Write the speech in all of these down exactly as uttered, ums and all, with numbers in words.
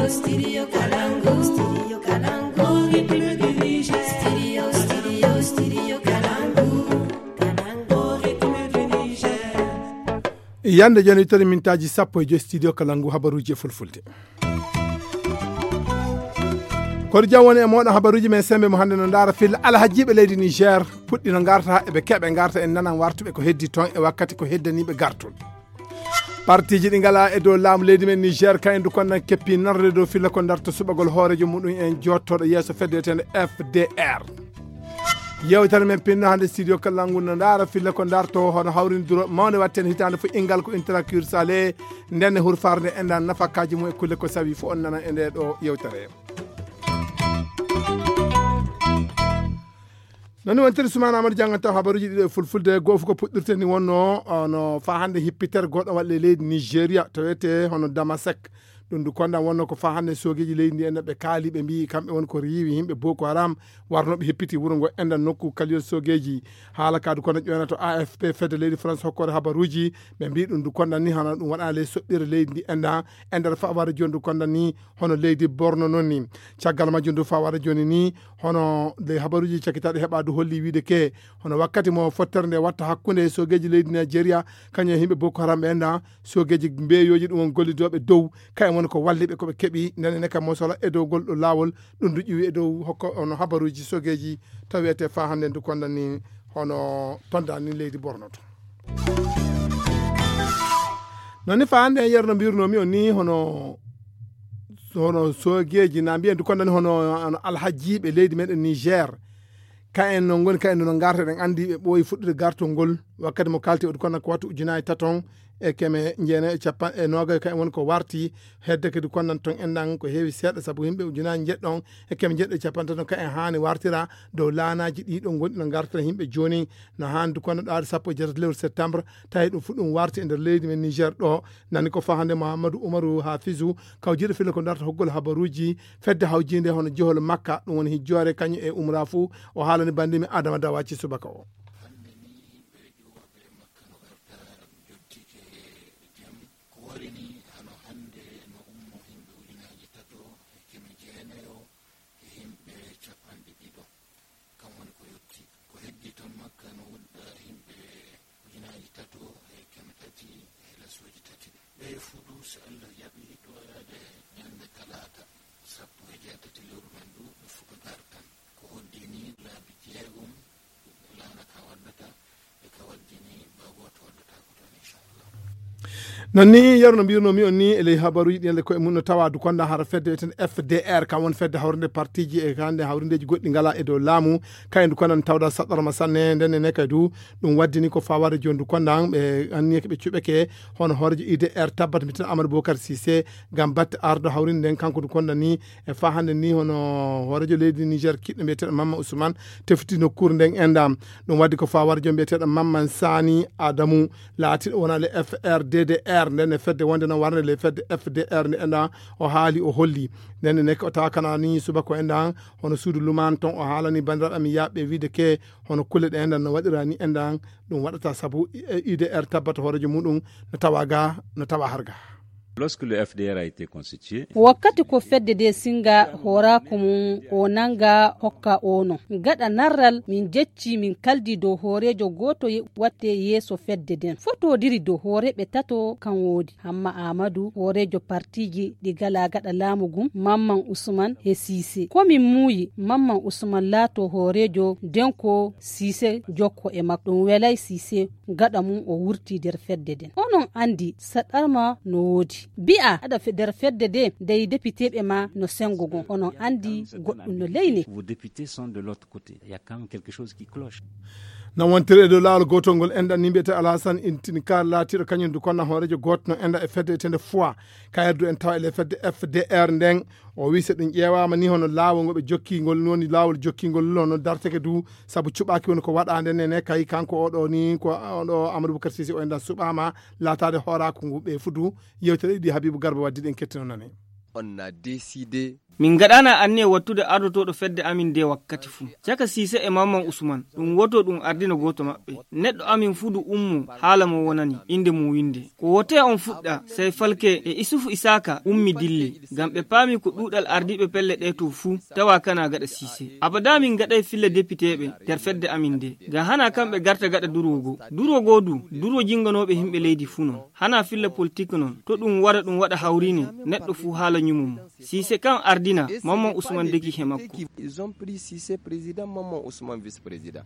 Studio Kalangu, Studio Kalangu, République du Niger. Studio, Studio, Studio Kalangu, Kalangu, République du Niger. Yande joni tari mintaaji sappo e joy studio Kalangu habaruuji e fulfulde. Koɗo jam woni e mooɗon habaruuji men sembe mo hannde no ndaara filla alhajiiɓe leydi Niger puɗɗi no ngarta eɓe keɓe ngarta en nanan wartuɓe ko heddi toon e wakkati ko heddaniiɓe gartol. Partiji ɗi ngala e dow laamu leydi men Niger ka endu konnan keppi narde dow filla ko darto suɓagol hoorejo muɗum en jottoɗo yeeso fedde wiyetende F D R. Yewtere men pinno hannde studio kallangu no ndaara filla ko darto hono hawrindiro mawde watten hitaande fo ingal ko interacure sale ndenne hurfarde endan nafakaji mum e kulle ko sawi fo on nana e nde ɗo yewtere. Nani wontiri Sumaana Amadu janngan taw habaruuji ɗiɗo e fulfulde goo fof ko puɗɗirte ni wonno no fa hannde hippitere goɗɗo waɗle leydi Nigeria to wiyete hono Damasek. Ɗum du konda wonno ko fa hannde soogeeji leydi ndi enda ɓe kaali ɓe mbiyi kamɓe won ko riiwi yimɓe Boko Haram warno ɓe hippiti wuro ngo enda nokku kaliyol soogeeji. Haala ka du konda ƴoyna to A F P fedde leydi France hokkore habaruuji ɓe mbiyi ɗum du konda ni hana ɗum waɗa ley soɓɓire leydi ndi enda e nder faware joni du konda ni hono leydi Borno noon ni. Caggal majjum du faware joni ni hono ley habaruuji cakkitaɗi heɓa du holli wiide ke hono wakkati mo fottere nde watta hakkunde soogeeji leydi Nigeria kañum e yimɓe Boko Haram ɓe enda soogeeji mbeyoji ɗum on gollidooɓe dow kayen woni ko walliɓe ko ɓe keɓi ndene ne kam mosola e dow gol ɗo laawol ɗum du ƴiwi e dow hokko ono habaruuji soogeeji taw wiyete fa hannde ndu konda ni hono tonda ni leydi Borno to. Noon ni fa hannde en yerno mbirnomi on ni hono hono soogeeji na mbiyen du konda ni hono hono alhajiiɓe leydi meɗen Niger ka en no ngoni ka en no ngarta eɗen anndi ɓe ɓooyi fuɗɗude gartol ngol wakkati mo kalti oɗo kono ko wattu ujunaaji taton e keme jeena e capan e noga ka en woni ko warti hedde kadi konnan ton enɗan ko heewi seeɗa sabu yimɓe ujunaaji jeɗɗon e keme jeɗɗo e capan taton ka en haani wartira dow laanaaji ɗiɗo gonɗi no ngartira yimɓe jooni no haani du konno ɗaade sappo e jeetati lewru septembre tawi ɗum fu ɗum warti e nder leydi men Niger ɗo nani ko fahande Mouhamadou Oumarou Hafizou kawjiiɗo filla ko darta hoggol habaruuji fedde hawjiinde hono jehol Makka ɗum woni hijjoore kañum e umra fuu o haalani banndi men Adama Dawaci subaka o. Hannde ni yimɓe ƴuwooɓe Makka no ngarta jottike jam ko warini hano hannde no ummo yimɓe ujunaaji tato e keme jeenayo e yimɓe capanɗe ɗiɗo kam woni ko yotti ko heddi ton Makka no wudda yimɓe ujunaaji tato e keme tati e lasuuji tati ɓe fuɗu so Allah jaɓi ɗoyaade ñande talaata sappo e jeetati lewru men ndu ɓe fuɗa gartan ko hoddini laabi jeegom laana ka waddata e ka waddini ba gooto waddata ko toon inchallah. Non ni yerno mbirnomi on ni e ley habaruji ɗi ande koye mum no tawa du konda hara fedde wiyeten F D R kam won fedde hawrinde partiji e hande hawrindeji goɗɗi ngala e dow laamu kayen du kondan tawda saɗɗorma sanne ndenne ne kay du ɗum waddini ko fawade joni du kondan ɓe anniye ɓe cuɓeke hono hoorejo I D R tabbat miten Amadou Bocar Cissé ngam batte ardo hawrinde nden kanko du kondan ni e fa hande ni hono hoorejo leydi Niger kiɗɗo mbiyeteɗo Mamma Ousmane tefti nokkuure nden endam ɗum waddi ko fawade jom mbiyeteɗo Mamman Sani Adamu laatiɗo wona le F R D D R nden e fedde wonde no warde le fedde F D R nde enda o haali o holli nden ne o tawa kana ni subaka o endan hono suudu luman ton o haalani bandiraɓe am yaɓe wiide ke hono kulle ɗe endan no waɗira ni endan ɗum waɗata sabu I D R tabbata hoorejo muɗum no tawa ga no tawa harga. Lorsque le F D R a été constitué, wakkati ko fedde de singa hooraaku mum o nanga hokka o non gaɗa narral min jecci min kaldi dow hooreejo gooto ye- watte yeeso fedde den fotodiri dow hooreeɓe tato kan woodi Hamma Aamadu hooreejo partiji ɗi gala gaɗa laamu gum Mamman Usman e Siise ko min muuyi Mamman Usman laato hooreejo den ko Siise jokko e makko ɗum welay Siise gaɗa mum o wurti der fedde den onon andi saɗɗarma no woodi bi'a aɗa fe- der fedde de dey depiteɓe ma no sengo gon onon andi goɗɗum no leyne. Vos députés sont de l'autre côté, il y a quand même quelque chose qui cloche. Na wontiri e dow laawol gootol ngol enɗan ni mbiyete alhasan intin kar laatiiɗo kañum du konna hooreejo gooto no enɗa e fedde etende fois kayre du en tawa ele fedde F D R nden o wi so ɗum ƴeewaama ni hono laawol ngo ɓe jokki ngol woni laawol jokkingol hono darteke du sabu cuɓaaki woni ko waɗaande nene kay kanko oɗo ni ko oɗo Amadou Boukar Sisi o enɗan suɓaama laataade hooraaku ngu ɓe fudu yewtere ɗiɗi Habibou Garba waddi ɗen kettino nane. On a décidé Min ngaɗaana anniya wattude ardotooɗo fedde amin nde wakkati fuu. Caka Siise e Mamman Usman, ɗum woto ɗum ardina gooto maɓɓe. Neɗɗo amin fuu du ummo haala mo wonani, innde mum winnde. Ko wotee on fuɗɗa, sey Falke e Isufu Isaaka ummi dilli, ngam ɓe paami ko ɗuuɗal ardiiɓe pelle ɗee to fuu, tawa kana gaɗa Siise. Abada min ngaɗay filla depiteeɓe nder fedde amin nde. Ngam hana kamɓe garta gaɗa durwo goo. Durwo goo du, durwo jinganooɓe yimɓe leydi fuu non. Hana filla politik non, to ɗum waɗa ɗum waɗa hawriine, neɗɗo fuu haala ñumo mum. Siise kan ardina, Mamman Usman deki he makko. Ils ont pris Cissé président, Mamman Ousmane vice-président.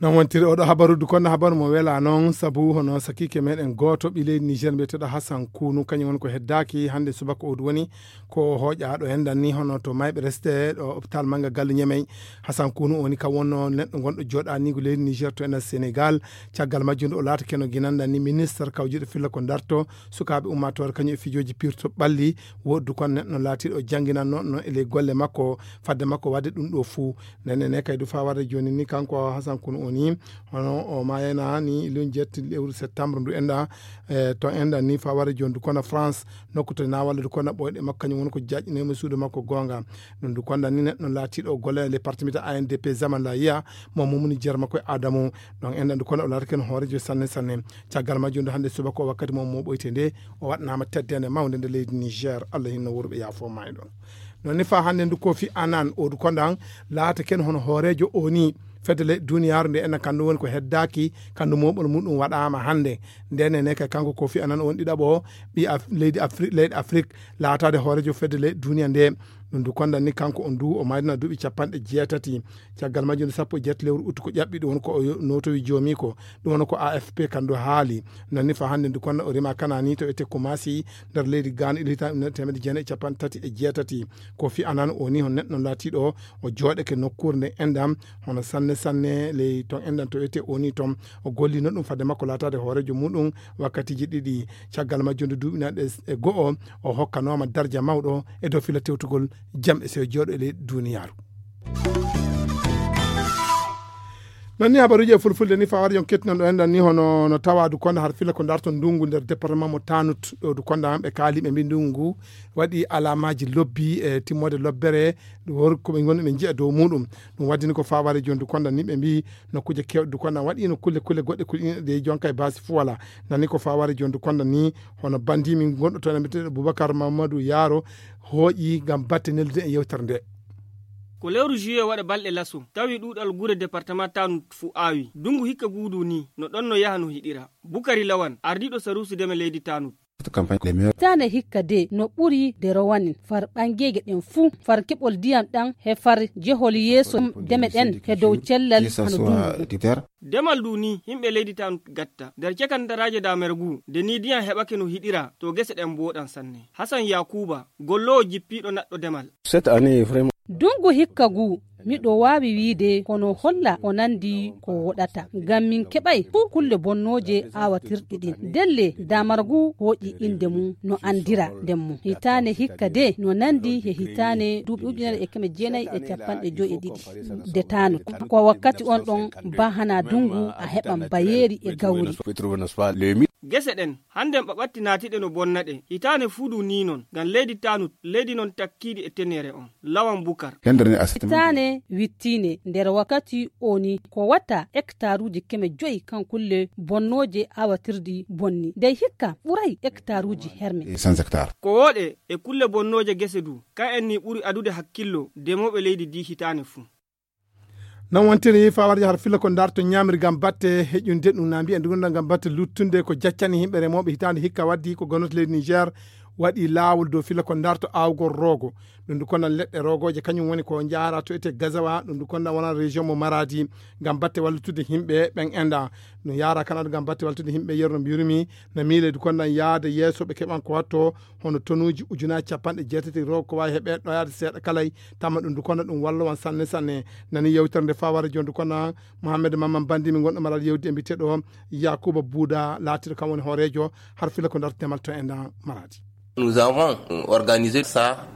Non wontiri oɗo habaru du kono habaru mo wela non sabu hono sakiike meɗen gooto ɓi leydi Niger mbiyeteɗo Hassan Kunu, kañum woni ko heddaaki hannde subaka o du woni ko hooƴaaɗo en danni hono to mayɓe reste ɗo hôpital mannga galle Ñemey. Hassan Kunu woni ka wonno neɗɗo gonɗo jooɗaaniigu leydi Niger to ena Sénégal. Caggal majjum o laata keno ginanɗa ni ministre kawjuɗo filla ko darto sukaaɓe ummaatoore kañum e fijooji pirto ɓalli. Woɗdu kon neɗɗo laatiiɗo jannginannoo no e ley golle makko fadde makko waɗde ɗum ɗo fuu. Ndenne ne kay du faa warde jooni ni kanko Hasan Kunu o ni hono o maayana ni lun jetti lewru septembre ndu enɗa. E to enɗa ni faa warde jooni du kono France nokku to na wallude kono ɓoyɗe makko kañum woni ko jaƴƴinema suudu makko goonga. Ɗum du konda ni neɗɗo laatiiɗo golle le partimita A N D P zaman la yiya mo mumuni jeer makko e Adamu. Ɗon enɗa du kono o laata ken hoorejo sanne sanne. Caggal majjum nde hannde subaka o wakkati mo mo ɓoyte nde o waɗnaama teddende mawnde nde leydi Niger. Allah hinno wuro ɓe yaafo ma e ɗon. Non ni faa hannde ndu Kofi Annan o du konda laata ken hono hoorejo o ni fedde leyɗe duniyaaru nde enna kandu woni ko heddaaki kandu moɓol muɗum waɗaama hannde. Ndene ne kay kanko Kofi Annan on ɗiɗaɓo ɓi Af- leydi Afri- leyɗe Afrik laataade hoorejo fedde leyɗe duniya nde. Ɗum du konda ni kanko on du o maydina duuɓi capanɗe jeetati. Caggal majjum nde sappo e jeetati lewru uttu ko ƴaɓɓi ɗum woni ko o yo- notowi joomi ko ɗum woni ko A F P kandu haali. Non ni fa hannde ndu konda o rima kanani to ete Kumasi nder leydi Ghana ila hitaande ujunere teemedde jeenayi e capanɗe tati e jeetati. Kofi Annan o ni hon neɗɗo laatiiɗo o jooɗake nokkuure nde enɗam hono sanne sanne ley ton enɗam to ete o ni ton o gollino ɗum fadde makko laataade hoorejo muɗum wakkatiji ɗiɗi. Caggal majjum nde duuɓi naɗe e go'o o hokkanooma darja mawɗo e dow fila tewtugol jam e sew jooɗo e ley duniyaaru. Non ni habaruuji e fulfulde ni fawar yon kettinon ɗo enɗan ni hono no tawadu konda har fila ko darto ndungu nder département mo Tanut ɗo du konda ɓe kaali ɓe mbi ndungu waɗi alamaaji lobbi e timmoode lobbere wor ko ɓe ngonno ɓe njiya dow muɗum. Ɗum waddini ko faware jondu konda ni ɓe mbi nokkuuje kewɗe du konda waɗino kulle kulle goɗɗe kuɗi ɗe jonka e basi fuwala. Nani ko faware jondu konda ni hono bandi min gonɗo toon e mbiyeteeɗo Boubacar Mamadou Yaro hooƴi ngam batte neldude e yewtere nde. Ko lewru juillet waɗa balɗe laso tawi ɗuuɗal gure département Tanut fu awi dungu hikka guudu ni no ɗon no yaha no hiɗira. Bukari Lawan ardiiɗo saruusi deme leydi Tanut. Hitaande hikka de no ɓuri de rowanin far ɓangeeje ɗen fuu far keɓol diyam ɗam he far jehol yeeso deme ɗen he dow cellal hano dungu. Demal du ni yimɓe leydi Tanut gatta nder cekandaraaje damergu de ni diyam heɓake no hiɗira to gese ɗen mbooɗan sanne. Hasan Yakuba golloowo jippiiɗo naɗɗo demal. Cette année vraiment. Dungu hikka ngu miɗo waawi wiide kono holla o nandi ko woɗata ngam min keɓay fuu kulle bonnooje aawatirɗe ɗin. Delle damar ngu hooƴi innde mum no anndira nden mum hitaande hikka de no nandi he hitaande duuɓi ujunere e keme jeenayi e capanɗe joyi e ɗiɗi de Tanut. Ko wakkati on ɗon ba hana dungu a heɓan bayeeri e gawri. Gese ɗen hannden ɓaɓatti naatiɗe no bonna ɗe hitaande fuu du ni non ngam leydi Tanut leydi non takkiiɗi e tenere on. Lawan Bukar. Hitaane wittiine nder wakkati o ni ko watta hektaruuji keme joyi kan kulle bonnooje awatirdi bonni dey hikka ɓuray hektaruuji herme. Ko wooɗe e kulle bonnooje gese du kan en ni ɓuri adude hakkillo demooɓe leydi di hitaane fuu. Non wontiri fawarja har filla ko darto ñaamiri ngam batte heƴunde ɗum na mbiyen ɗum ngam batte luttunde ko jaccani yimɓe remooɓe hitaande hikka waddi ko gonoto leydi Niger waɗi laawol dow filla ko darto aawgol roogo. Ɗum du kondan leɗɗe roogooje kañum woni ko jaara to ete Gazawa ɗum du kondan wona région mo Maradi ngam batte wallutude yimɓe ɓen enda. Ɗum yaara kanadu ngam batte wallutude yimɓe yerno mbirumi na miile du kondan yaade yeeso ɓe keɓan ko watto hono tonuuji ujunaaji capanɗe jeetati roogo ko waawi heɓe ɗoyaade seeɗa kalay. Tamma ɗum du kondan ɗum wallowan sanne sanne. Nani yewtere nde fawara jooni du kondan Mohammed Mamman Bandi mi gonɗo maral yewdi e mbiteɗo Yakuba Buuda laatiɗo kam woni hooreejo har fila ko darto demal to enda Maradi. Nous avons organisé ça.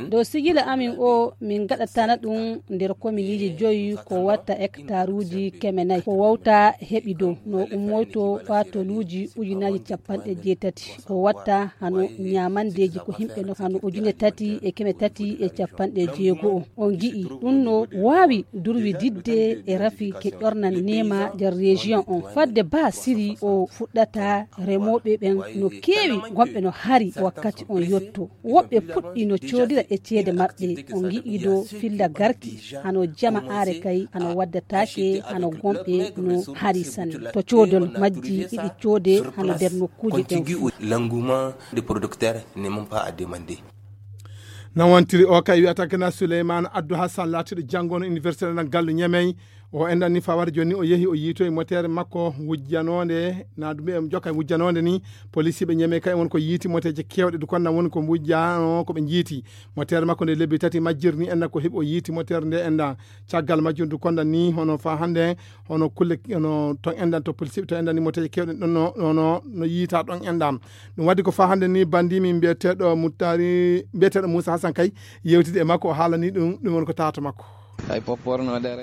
Dow sigila amin o, min ngaɗatana ɗum nder kominiiji joyi ko watta hektaruuji keme nayi. Ko wawta heɓi dow no ummoyto faa tonuuji ujunaaji capanɗe jeetati. Ko watta hano ñaamandeeji ko himɓe no hano ujune tati e keme tati e capanɗe jeego o. On ngi'i ɗum no waawi durwididde e rafi ke ƴornan neema nder région on. Fadde baa siri o fuɗɗata, remooɓe ɓen no keewi, gomɓe no hari wakkati on yotto. Woɓɓe puɗɗi no coodira e ceede maɓɓe. On ngi'i dow filla garki, hano jama are kay, hano waddataake, hano gomɓe no hari sanne. To coodol majji iɗi coode hano nder nokkuuje ɗen fuu. L'engouement des producteurs n'est même pas à demander. Non wontiri o kay wiyata kena Souleymane Abdou Hassan laatiɗo janngono université ɗan gallu Ñamey. O enɗan ni fawata jooni ni o yehi o yiitoyi motere makko wujjanonde, na ɗum ɓe jokka wujjanonde ni. Polisiiɓe Ñamey kay won ko yiiti moteeje keewɗe du konna woni ko wujjano ko ɓe jiiti. Motere makko nde lebbi tati majjir ni enɗan ko heɓi o yiiti motere nde enɗan. Caggal majjum du konna ni hono fa hannde hono kulle hono ton enɗan to polisiiɓe to enɗan ni moteeje keewɗe ɗon no no no yiita ɗon enɗan. Ɗum waddi ko fa hannde ni bandi min mbiyeteeɗo Muttari mbiyeteeɗo Moussa Hassan kay yewtide e makko o haalani ɗum ɗum woni ko tawata makko.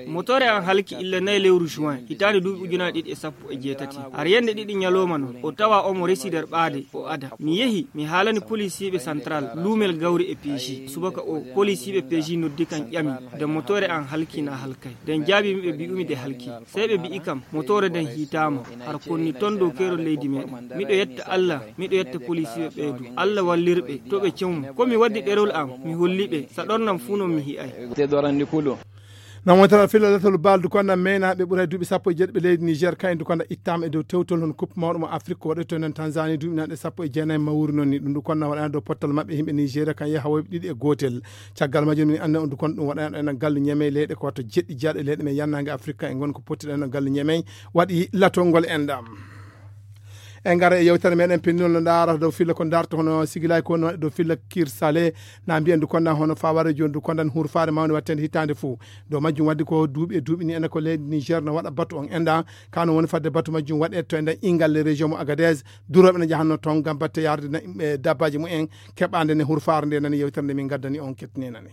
Motore an halki illa nayi lewru juin hitaande duuɓi ujunaaji ɗiɗi e sappo e jeetati. Har yende ɗiɗi ñalooma non o tawa omo resi nder ɓaade o ada. Mi yehi mi haalani polisiiɓe central luumel gawri e peeji. Subaka o polisiiɓe peeji noddi kan ƴami nde motore an halki na halkay. Nden jaabi mi ɓe mbi'umi de halki. Sey ɓe mbi'i kam motore nden hiitaama. Har konni ton dow keerol leydi meɗen. Miɗo yetta Allah, miɗo yetta polisiiɓe ɓeedu. Allah wallirɓe to ɓe cewmo. Ko mi waddi ɗerol am mi holli ɓe. Sa ɗornam fuu non mi hi'ay. Te ɗorandi kulu. Namontara filla latal baldu konna meyna ɓe ɓuray duuɓi sappo e jeeɗiɓe leydi Niger kayen du konna ittama e dow tewtol hon coupe mawɗo mo Afrique ko waɗoyto nen Tanzanie duuɓi nanɗe sappo e jeenayi mawri non ni ɗum du konna waɗana dow pottal maɓɓe himɓe Nigeria kan yaha woyɓe ɗiɗi e gootel. Caggal majjum min anndi on du kon ɗum waɗana ɗo enen gallu Ñamey leyɗe ko watta jeɗɗi jaaɗe leyɗe men yannange Afrique kan e ngon ko pottiɗo enen gallu Ñamey waɗi latol ngol enɗam. En ngara e yewtere meɗen pennol no ndaarata dow filla ko ndaarta hono sigilay ko no waɗi dow filla kirsale na mbiyen du kondan hono faware joni du kondan hurfare mawde wattende hitande fo. Dow majjum waddi ko duuɓi e duuɓi ni enen ko leydi Niger no waɗa batu on enɗa kano woni fadde batu majjum waɗe to enɗan ingal le région mo Agadez. Duroɓe no jahanno ton ngam batte yarde na yimɓe dabbaji mumen keɓande ne hurfare nde nani yewtere nde min gaddani on kettinenane.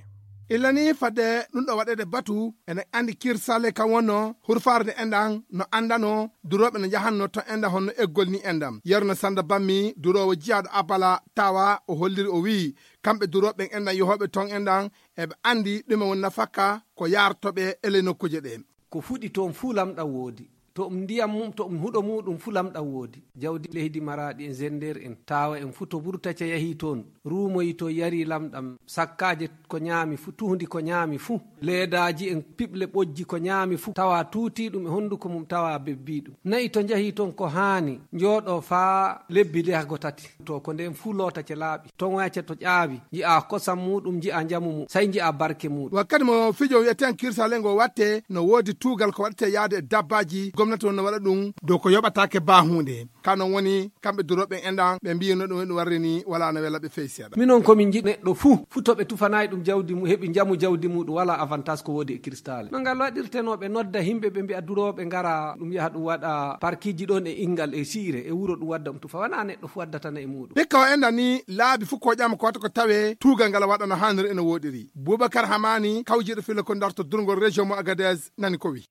Illa ni fadde ɗum ɗo waɗede batu ene andi kirsale kan wonno hurfare nde enɗan no andano duroɓe no jahanno ton enɗan honno eggol ni enɗan. Yerno Sanda Bammi durowo jiyaɗo Abala tawa o holliri o wiyi kamɓe duroɓe ɓen enɗan yohoɓe ton enɗan eɓe andi ɗume woni nafakka ko yartoɓe e ley nokkuje ɗe. Ko fuɗi toon fuu lamɗam woodi. To ɗum ndiyam mum, to ɗum huɗo muuɗum fuu lamɗam woodi. Jawdi leydi Maraaɗi en, Zender en, Taawa en fuu to Burtaca yahii toon, ruumoyii toon, yarii lamɗam, sakkaaje ko ñaami fuu, tuhndi ko ñaami fuu, leedaaji en, piɓle ɓojji ko ñaami fuu, tawa tuutii ɗum e honnduko mum, tawa bebbii ɗum. Na'i to njahii toon ko haani, njooɗoo faa lebbi ndeha go tati. To ko ndeen fuu lootace laaɓi, toŋoyace to ƴaawi, nji'aa kosam muuɗum, nji'aa njamu mum, sey nji'aa barke muuɗum. Wakkati mo fijo wi'eten kirsale ngo watte, no woodi tuugal ko waɗetee yaade e dabbaaji, gomnati on no waɗa ɗum dow ko yoɓataake baa huunde. Ka non woni, kamɓe durooɓe en enɗan, ɓe mbiyi no ɗum, ɗum warri ni, walaa no wela ɓe fey seeɗa. Minon ko min njiɗi neɗɗo fuu, fuu to ɓe tufanaay ɗum jawdi mum, heɓi njamu jawdi muuɗum, walaa avantage ko woodi e kirsale. No ngal waɗirtenoo ɓe nodda himɓe, ɓe mbi'a durooɓe ngara, ɗum yaha ɗum waɗa parkiji ɗon e ingal e siire, e wuro ɗum wadda ɗum tufa. Wanaa neɗɗo fuu waddatana e muuɗum. Hikka o enɗan ni, laabi fuu ko ƴama ko wata ko tawe, tuugal ngal waɗa no haaniri e no wooɗiri. Boubacar Hamani, kawjiiɗo filla ko darto durngol région mo Agadez, nani ko wi.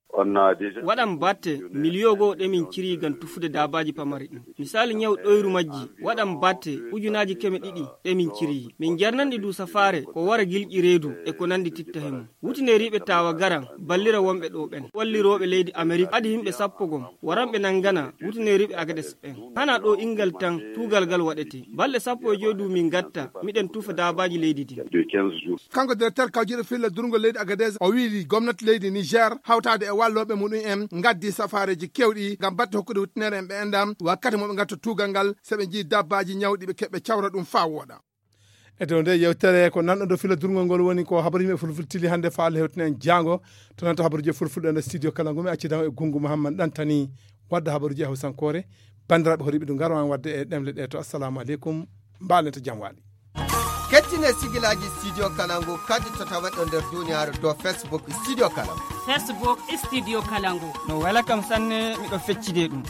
Waɗan batte miliyo goo ɗe min ciri ngam tufude daabaaji pamari ɗin. Misali ñaw ɗoyru majji, waɗan batte ujunaaji keme ɗiɗi ɗe min ciri. Min jarnan ɗi du safaare ko wara gilƴi reedu e ko nandi titta he mum. Wutineriiɓe tawa garan ballira wonɓe ɗo ɓen. Wallirooɓe leydi Amerik adi himɓe sappo gom waran ɓe nangana wutineriiɓe Agades ɓen. Hana ɗo ingal tan tuugal ngal waɗete. Balɗe sappo e joy du min gatta miɗen tufa daabaaji leydi din. Kanko directeur kawjiiɗo filla durngol leydi Agadez o wiyi gomnati leydi Niger hawtaade e wallooɓe muɗum en ngaddi safaareeji kewɗi ngam batte hokkude wuttinere en ɓe enɗam wakkati mo ɓe ngatta tuugal ngal so ɓe njii dabbaaji ñawɗi ɓe keɓɓe cawra ɗum faa wooɗa. E dow nde yewtere ko nanɗo dow filla durngol ngol woni ko habaru yimɓe fulfultili hannde faa Allah hewtina en jaango to nanto habaruji e fulfulde nder studio kala ngu mi accidan e Gungu Muhammad Ɗantani wadda habaruji e hawsankoore. Banndiraaɓe horiɓe du ngaro an wadde e ɗemle ɗe to assalamu aleykum. Mbaalen to jam waali. Kettine sigilaaji Studio Kalangu kadi to tawaɗo nder duniyaaru dow Facebook Studio Kalangu. Facebook Studio Kalangu. No wela kam sanne miɗo feccide ɗum.